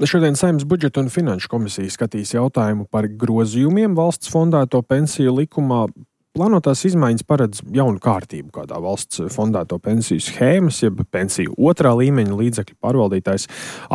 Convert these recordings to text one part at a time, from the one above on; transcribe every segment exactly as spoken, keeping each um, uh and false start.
Šodien Saeimas budžeta un finanšu komisija skatīs jautājumu par grozījumiem valsts fondēto pensiju likumā. Plānotās izmaiņas paredz jaunu kārtību, kādā valsts fondēto pensiju schēmas, jeb pensiju otrā līmeņa līdzekļu pārvaldītājs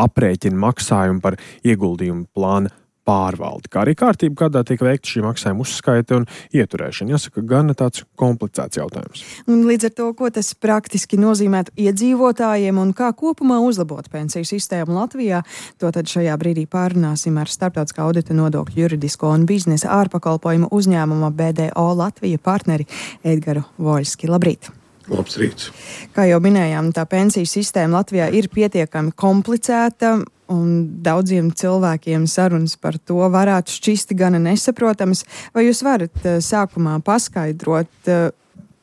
aprēķina maksājumu par ieguldījumu plāna pārvaldi, kā arī kārtība, kādā tiek veikta šī maksājuma uzskaite un ieturēšana. Jāsaka, gan tāds komplicēts jautājums. Un līdz ar to, ko tas praktiski nozīmētu iedzīvotājiem un kā kopumā uzlabot pensiju sistēmu Latvijā, to tad šajā brīdī pārunāsim ar Starptautiskā audita nodokļu juridisko un biznesa ārpakalpojumu uzņēmuma B D O Latvija partneri Edgaru Voļski. Labrīt! Labs rīts! Kā jau minējām, tā pensiju sistēma Latvijā ir pietiekami komplicēta, un daudziem cilvēkiem sarunas par to varētu šķist gana nesaprotamas. Vai jūs varat sākumā paskaidrot,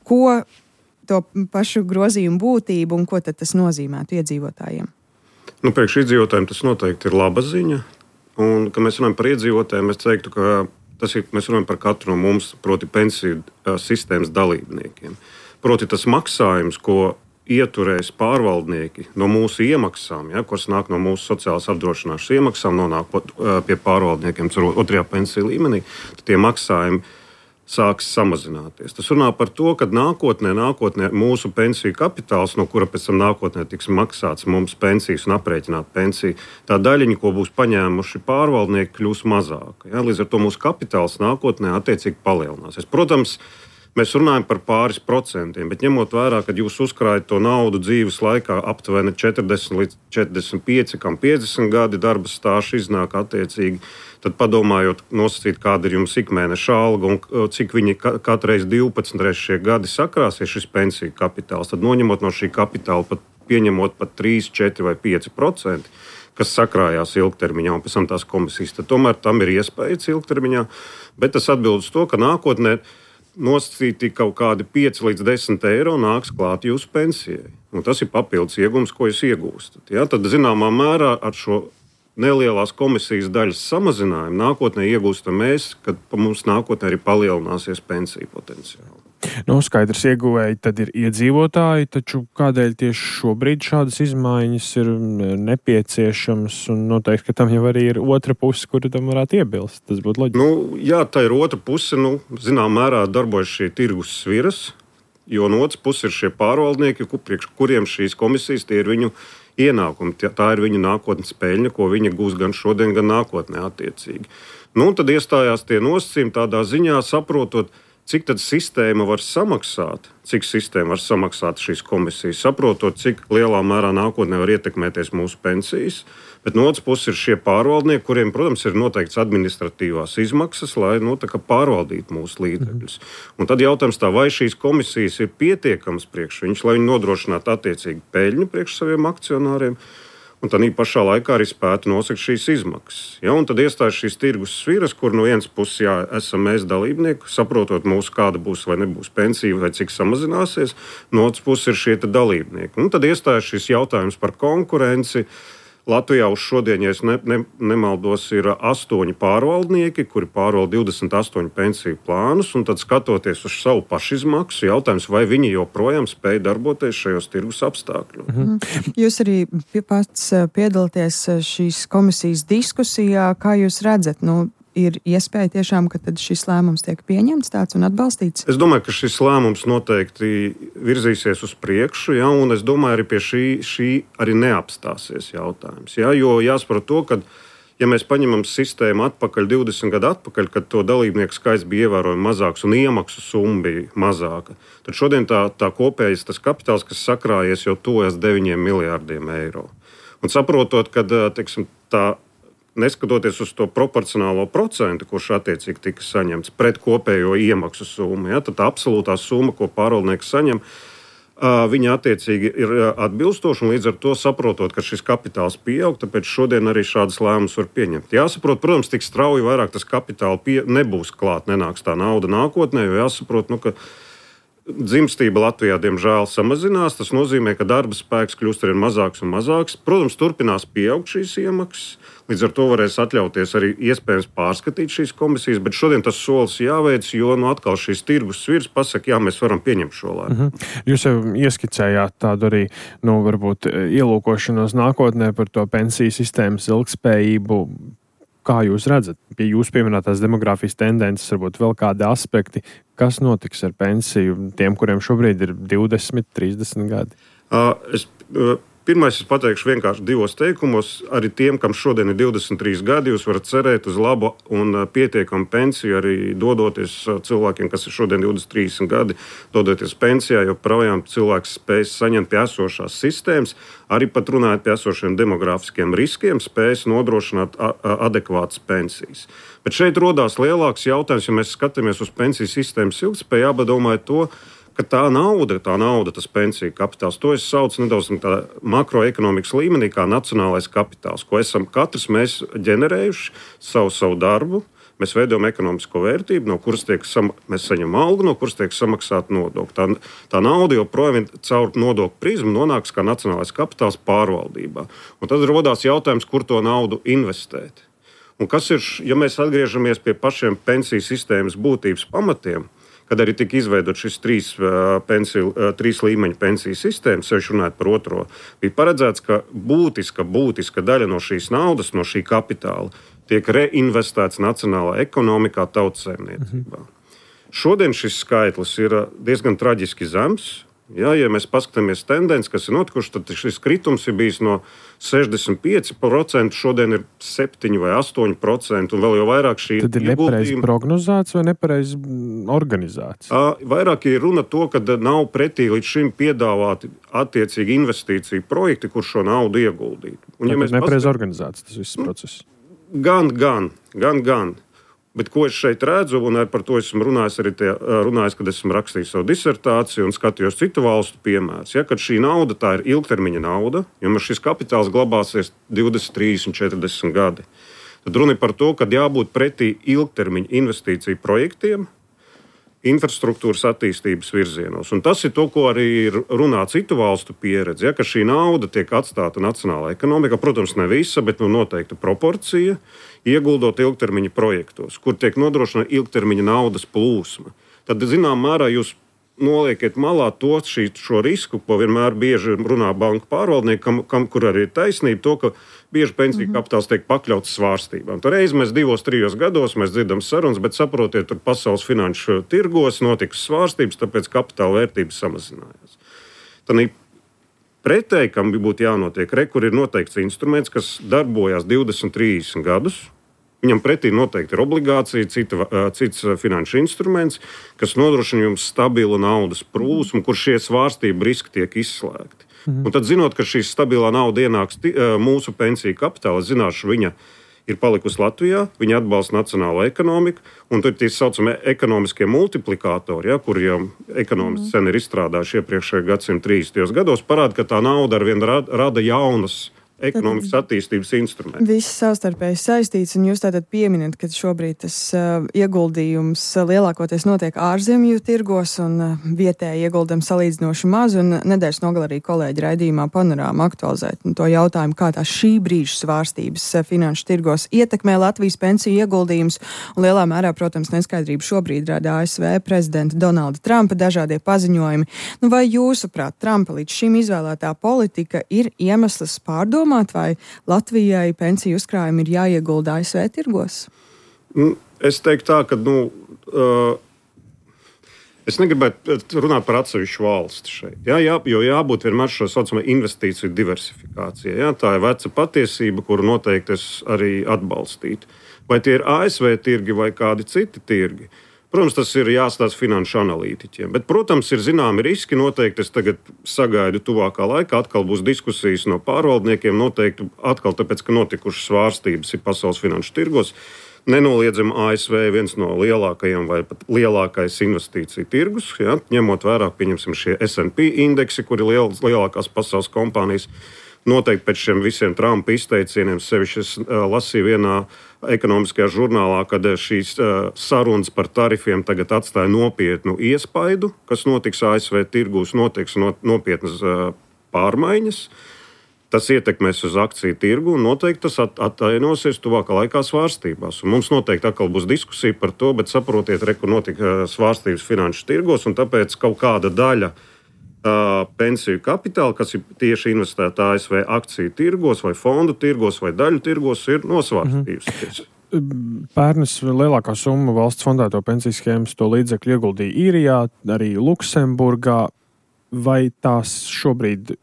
ko to pašu grozījumu būtību un ko tad tas nozīmētu iedzīvotājiem? Nu, priekš iedzīvotājiem tas noteikti ir laba ziņa. Un, kad mēs runājam par iedzīvotājiem, es teiktu, ka tas ir, mēs runājam par katru no mums, proti pensiju sistēmas dalībniekiem. Proti tas maksājums, ko ieturēs pārvaldnieki no mūsu iemaksām, ja, kuras nāk no mūsu sociālās apdrošināšanas iemaksām, nonāk pie pārvaldniekiem otrajā pensiju līmenī, tad tie maksājumi sāks samazināties. Tas runā par to, ka nākotnē, nākotnē mūsu pensiju kapitāls, no kura pēc tam nākotnē tiks maksāts mums pensijas un aprēķināt pensiju, tā daļiņa, ko būs paņēmuši pārvaldnieki, kļūs mazāka. Ja. Līdz ar to mūsu kapitāls nākotnē attiecīgi palielināsies. Protams, mēs runājam par pāris procentiem, bet ņemot vērā, ka jūs uzkrājat to naudu dzīves laikā aptuveni četrdesmit līdz četrdesmit pieci, kam piecdesmit gadi darba stāžs iznāk attiecīgi, tad padomājot, nosacīt, kāda ir jums ikmēneša alga un cik viņi katru reizi divpadsmit reizi šie gadi sakrāsies šis pensiju kapitāls, tad noņemot no šī kapitāla, pat pieņemot pat trīs, četri vai pieci procenti, kas sakrājās ilgtermiņā un pēc tam tās komisijas, tad tomēr tam ir iespējas ilgtermiņā, bet tas atbild uz to, ka nākotnē nosacīti kaut kādi pieci līdz desmit eiro nāks klāt jūsu pensijai. Un tas ir papildus iegums, ko jūs iegūstat. Ja? Tad, zināmā mērā, ar šo nelielās komisijas daļas samazinājumu nākotnē iegūstam mēs, kad mums nākotnē arī palielināsies pensiju potenciāli. Nu, skaidrs ieguvēji tad ir iedzīvotāji, taču kādēļ tieši šobrīd šādas izmaiņas ir nepieciešamas un noteikti, ka tam jau arī ir otra puse, kura tam varētu iebilst. Tas būtu loģiski. Nu, jā, tā ir otra puse, nu, zinām mērā darbojas šie tirgus sviras, jo no otras puses ir šie pārvaldnieki, priekš kuriem šīs komisijas tie ir viņu ienākumi. Tā ir viņu nākotnes peļņa, ko viņi gūs gan šodien, gan nākotnē attiecīgi. Nu, tad iestājās tie nosacījumi tādā ziņā, saprotot, cik tad sistēma var samaksāt, cik sistēma var samaksāt šīs komisijas, saprotot, cik lielā mērā nākotnē var ietekmēties mūsu pensijas. Bet no otras puses ir šie pārvaldnieki, kuriem, protams, ir noteikts administratīvās izmaksas, lai nu, tā kā pārvaldītu mūsu līdzekļus. Un tad jautājums tā, vai šīs komisijas ir pietiekamas priekš viņus, lai viņi nodrošinātu attiecīgi peļņu priekš saviem akcionāriem, un tad pašā laikā arī spētu nosakt šīs izmaksas. Ja, un tad iestājas šīs tirgus sviras, kur no vienas puses jā, esam mēs dalībnieki, saprotot mūsu, kāda būs vai nebūs pensija, vai cik samazināsies, no otras puses ir šie dalībnieki. Un tad iestājas šis jautājums par konkurenci. Latvijā uz šodien, ja es ne, ne, nemaldos, ir astoņi pārvaldnieki, kuri pārvalda divdesmit astoņu pensiju plānus, un tad skatoties uz savu pašizmaksu, jautājums, vai viņi joprojām spēj darboties šajos tirgus apstākļos. Mhm. Jūs arī pats piedalāties šīs komisijas diskusijā, kā jūs redzat, nu, ir iespēja tiešām, ka tad šis lēmums tiek pieņemts tāds un atbalstīts? Es domāju, ka šis lēmums noteikti virzīsies uz priekšu, ja, un es domāju, arī pie šī, šī arī neapstāsies jautājums. Ja, jo jāsaprot to, ka, ja mēs paņemam sistēmu atpakaļ, divdesmit gadu atpakaļ, kad to dalībnieku skaits bija ievērojami mazāks un iemaksu summa bija mazāka, tad šodien tā, tā kopējais tas kapitāls, kas sakrājies, jau tuvojas deviņiem miljārdiem eiro. Un saprotot, ka, teiksim, tā neskatoties uz to proporcionālo procentu, kurš attiecīgi tika saņemts pret kopējo iemaksu summu, ja, tad tā absolūtā summa, ko pārvaldnieks saņem, viņa attiecīgi ir atbilstoša, un līdz ar to saprotot, ka šis kapitāls pieaug, tāpēc šodien arī šādas lēmumus var pieņemt. Jāsaprot, protams, tik strauji vairāk tas kapitāls pie... nebūs klāt, nenāks tā nauda nākotnē, jo jāsaprot, nu, ka dzimstība Latvijā, diemžēl, samazinās. Tas nozīmē, ka darba spēks kļūst arvien mazāks un mazāks. Protams, turpinās pieaugt šīs iemaksas. Līdz ar to varēs atļauties arī iespējams pārskatīt šīs komisijas, bet šodien tas solis jāveic, jo nu, atkal šīs tirgus svirs pasaka, jā, mēs varam pieņemt šo lēmumu. Mm-hmm. Jūs jau ieskicējāt tādu arī, nu, varbūt ielūkošanos nākotnē par to pensiju sistēmas ilgspējību. Kā jūs redzat, pie jūsu pieminētās demogrāfijas tendences, varbūt vēl kādi aspekti, kas notiks ar pensiju tiem, kuriem šobrīd ir divdesmit, trīsdesmit gadi? Uh, es, uh, Pirmais, es pateikšu vienkārši divos teikumos. Arī tiem, kam šodien ir divdesmit trīs gadi, jūs varat cerēt uz labu un pietiekamu pensiju, arī dodoties cilvēkiem, kas ir šodien divdesmit trīs gadi, dodoties pensijā, jo projām cilvēks spējas saņemt pie esošās sistēmas, arī pat runājot pie esošiem demogrāfiskiem riskiem, spējas nodrošināt adekvātas pensijas. Bet šeit rodās lielāks jautājums, ja mēs skatāmies uz pensiju sistēmas ilgspēju, jāpadomā to, ka tā nauda, tā nauda, tas pensiju kapitāls, to es saucu nedaudz tādā makroekonomikas līmenī kā nacionālais kapitāls, ko esam katrs mēs ģenerējuši savu, savu darbu. Mēs veidojam ekonomisko vērtību, no kuras tiek sam, mēs saņemam algu, no kuras tiek samaksāta nodokļa. Tā, tā nauda joprojām caur nodokļu prizmu nonāks kā nacionālais kapitāls pārvaldībā. Un tad rodās jautājums, kur to naudu investēt. Un kas ir, ja mēs atgriežamies pie pašiem pensiju sistēmas būtības pamatiem, kad arī tika izveidot šis trīs, pensiju, trīs līmeņu pensiju sistēmas, sevišķi runājot par otro, bija paredzēts, ka būtiska, būtiska daļa no šīs naudas, no šī kapitāla tiek reinvestēts nacionālā ekonomikā, tautssaimniecībā. Mhm. Šodien šis skaitlis ir diezgan traģiski zems. Ja, ja mēs paskatāmies tendenci, kas ir notikuši, tad šis kritums ir bijis no sešdesmit pieci procenti, šodien ir septiņi vai astoņi procenti, un vēl jau vairāk šī tad ir nepareizi prognozēts vai nepareizi organizēts? Vairāk ir runa to, ka nav pretī līdz šim piedāvāti attiecīgi investīciju projekti, kur šo naudu ieguldīt. Un, ja mēs nepareizi paskat... organizēts tas viss process? Gan, gan, gan, gan. Bet ko es šeit redzu, un par to esmu runājis arī tie, runājis, kad esmu rakstījis savu disertāciju un skatījos citu valstu piemērus. Ja, kad šī nauda tā ir ilgtermiņa nauda, jo šis kapitāls glabāsies divdesmit, trīsdesmit, četrdesmit gadi, tad runa ir par to, ka jābūt pretī ilgtermiņa investīciju projektiem, infrastruktūras attīstības virzienos. Un tas ir to, ko arī runā citu valstu pieredze, ja, ka šī nauda tiek atstāta nacionālā ekonomikā, protams, ne visa, bet nu, noteikta proporcija, ieguldot ilgtermiņa projektos, kur tiek nodrošināta ilgtermiņa naudas plūsma. Tad, zinām mērā, jūs noliekat malā to, šī, šo risku, ko vienmēr bieži runā banku pārvaldnieki, kam, kam, kur arī ir taisnība, to, ka bieži pensiju mm-hmm. kapitāls tiek pakļauts svārstībām. Tur reiz mēs divos, trijos gados mēs dzirdam sarunas, bet saprotiet, tur pasaules finanšu tirgos notika svārstības, tāpēc kapitāla vērtības samazinājās. Tad pretēji, kam būtu jānotiek, re, kur ir noteikts instruments, kas darbojās divdesmit, trīsdesmit gadus. Viņam pretī noteikti ir obligācija, cita, cits finanšu instruments, kas nodrošina jums stabilu naudas plūsmu, kur šie svārstību riski tiek izslēgti. Mhm. Un tad, zinot, ka šī stabilā nauda ienāks t- mūsu pensiju kapitālā, zināšu, viņa ir palikusi Latvijā, viņa atbalsta nacionālo ekonomiku, un tur ir tie saucamie ekonomiskie multiplikātori, ja, kuriem ekonomisti sen ir izstrādājuši iepriekšējā gadsimta trīsdesmitajos gados, parāda, ka tā nauda arvien rada, rada jaunas ekonomikas attīstības instrumenti. Viss savstarpēji saistīts, un jūs tātad pieminat, ka šobrīd tas uh, ieguldījums lielākoties notiek ārzemju tirgos, un uh, vietēji ieguldam salīdzinoši maz, un nedēļas nogalē arī kolēģi raidījumā Panorāma aktualizēt to jautājumu, kā tā šī brīža svārstības uh, finanšu tirgos ietekmē Latvijas pensiju ieguldījumus, un lielā mērā, protams, neskaidrību šobrīd rada A S V prezidenta Donalda Trumpa dažādie paziņojumi. Nu, vai jūsuprāt, Trumpa līdz šim izvēlētā politika ir iemesls pārdomāt, vai Latvijai pensiju uzkrājumi ir jāiegulda A S V tirgos? Es teiktu tā, ka nu, uh, es negribētu runāt par atsevišķu valsti šeit. Jā, jā, jo jābūt vienmēr šo saucamā investīciju diversifikācijai. Jā, tā ir veca patiesība, kuru noteikti es arī atbalstītu. Vai tie ir A S V tirgi vai kādi citi tirgi? Protams, tas ir jāstāsta finanšu analītiķiem. Bet, protams, ir zināmi riski. Noteikti es tagad sagaidu tuvākā laikā. Atkal būs diskusijas no pārvaldniekiem. Noteikti atkal tāpēc, ka notikušas svārstības ir pasaules finanšu tirgos. Nenoliedzami A S V viens no lielākajiem vai pat lielākais investīciju tirgus. Ja, ņemot vērā, pieņemsim, šie S and P indeksi, kur ir liel, lielākās pasaules kompānijas. noteikti pēc šiem visiem Trumpa izteicieniem, sevišķi es uh, lasīju vienā ekonomiskajā žurnālā, kad šīs uh, sarunas par tarifiem tagad atstāja nopietnu iespaidu, kas notiks A S V tirgūs, notiks no, nopietnas uh, pārmaiņas. Tas ietekmēs uz akciju tirgu un noteikti tas atainosies tuvākā laikā svārstībās. Un mums noteikti atkal būs diskusija par to, bet saprotiet, re, kur notika svārstības finanšu tirgos, un tāpēc kaut kāda daļa uh, pensiju kapitāla, kas ir tieši investēta A S V akciju tirgos vai fondu tirgos vai daļu tirgos, ir nosvārstījusies. Mm-hmm. Pērnis lielākā summa valsts fondēto pensiju schēmas to līdzekļu ieguldīja Īrijā, arī Luksemburgā. Vai tās šobrīd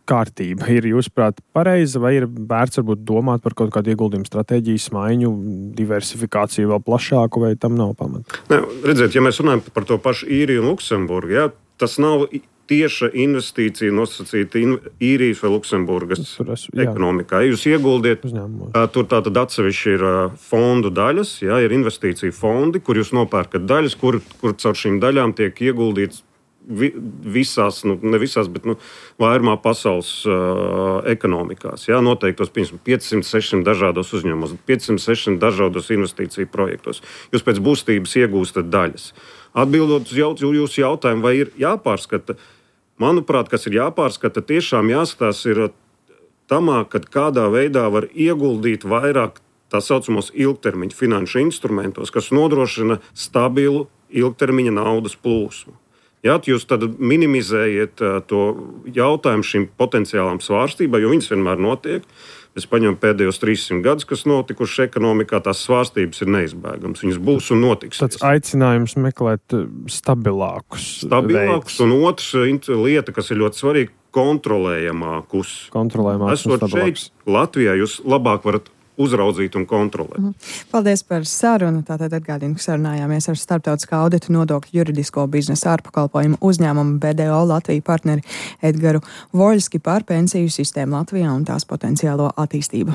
kārtība ir, jūsuprāt, pareiza, vai ir vērts varbūt domāt par kaut kādu ieguldījumu stratēģijas maiņu, diversifikāciju vēl plašāku, vai tam nav pamata? Ne, redziet, ja mēs runājam par to pašu Īriju un Luksemburgu, ja, tas nav tieša investīcija nosacīta in, Īrijas vai Luksemburgas es, ekonomikā. Ja jūs ieguldiet, uzņēmumos. Tur tātad atsevišķi ir fondu daļas, ja, ir investīcija fondi, kur jūs nopērkat daļas, kur, kur caur šīm daļām tiek ieguldīts Vi, visās, nu, ne visās, bet nu, vairumā pasaules uh, ekonomikās. Jā, noteiktos piecsimt sešsimt dažādos uzņēmumos, piecsimt sešsimt dažādos investīciju projektos. Jūs pēc būstības iegūstat daļas. Atbildot uz jaut, jūsu jautājumu, vai ir jāpārskata, manuprāt, kas ir jāpārskata, tiešām jāskatās ir tamā, kad kādā veidā var ieguldīt vairāk tā saucamos ilgtermiņa finanšu instrumentos, kas nodrošina stabilu ilgtermiņa naudas plūsmu. Jā, jūs tad minimizējiet to jautājumu šīm potenciālām svārstībām, jo viņas vienmēr notiek. Es paņemu pēdējos trīssimt gadus, kas notikuši ekonomikā, tās svārstības ir neizbēgamas. Viņas būs un notiks. Tāds aicinājums meklēt stabilākus. Stabilākus, un otrs lieta, kas ir ļoti svarīga, kontrolējamākus. Kontrolējamākus un stabilākus. Šeit Latvijā jūs labāk varat uzraudzīt un kontrolēt. Mhm. Paldies par sarunu. Tātad atgādinu, ka sarunājāmies ar starptautiskā audita nodokļu juridisko biznesa ārpakalpojumu uzņēmumu B D O Latviju partneri Edgaru Voļski par pensiju sistēmu Latvijā un tās potenciālo attīstību.